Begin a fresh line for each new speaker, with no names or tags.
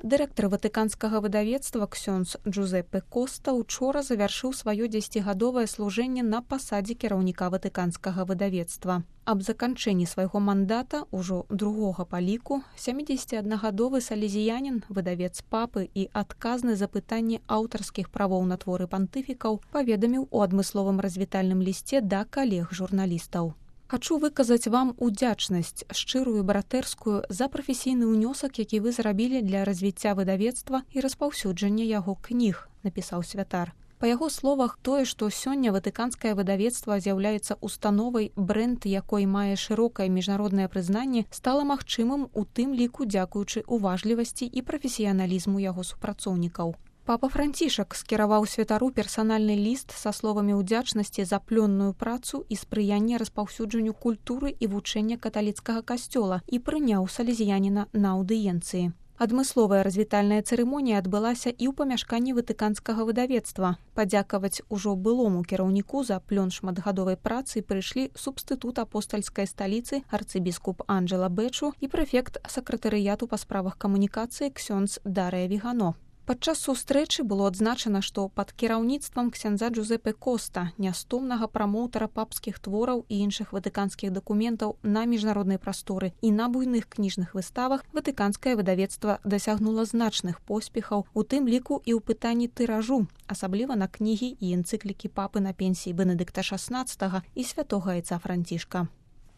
Дырэктар ватыканскага выдавецтва ксёндз Джузеппе Коста учора завяршыў сваё 10гадовае служэнне на пасадзе кіраўніка ватыканскага выдавецтва. Аб заканчэнні свайго мандата ўжо другога па ліку 71гадовы салезіянін, выдавец папы і адказны за пытанні аўтарскіх правоў на творы пантыфікаў паведаміў у адмысловым развітальным лісце да калег-журналістаў. Хачу выказаць вам удзячнасць, шчырую братэрскую, за прафесійны ўнёсак, які вы зрабілі для развіцця выдавецтва і распаўсюджання яго кніг, напісаў святар. Па яго словах, тое, што сёння ватыканскае выдавецтва з'яўляецца установай, брэнд якой мае шырокае міжнароднае прызнанне, стала магчымым у тым ліку дзякуючы уважлівасці і прафесіяналізму яго супрацоўнікаў. Папа Францішак скіраваў святару персанальны ліст са словамі ўдзячнасці за плённую працу і спрыянне распаўсюджанню культуры і вучэння каталіцкага касцёла і прыняў салезіяніна на аўдыенцыі. Адмысловая развітальная цырымонія адбылася і ў памяшканні ватыканскага выдавецтва. Падзякаваць ужо былому кіраўніку за плён шматгадовай працы прыйшлі субстытут апостальскай сталіцы арцыбіскуп Анджела Бэчу і прэфект сакратарыяту па справах камунікацыі ксёндз Дарыя Вігано. Падчас сустрэчы было адзначана, што пад кіраўніцтвам ксяндза Джузеппе Коста, нястомнага прамоўтара папскіх твораў і іншых ватыканскіх дакументаў на міжнароднай прасторы і на буйных кніжных выставах, ватыканскае выдавецтва дасягнула значных поспехаў, у тым ліку і ў пытанні тыражу, асабліва на кнігі і энцыклікі папы на пенсіі Бенедыкта XVI і святога айца Францішка.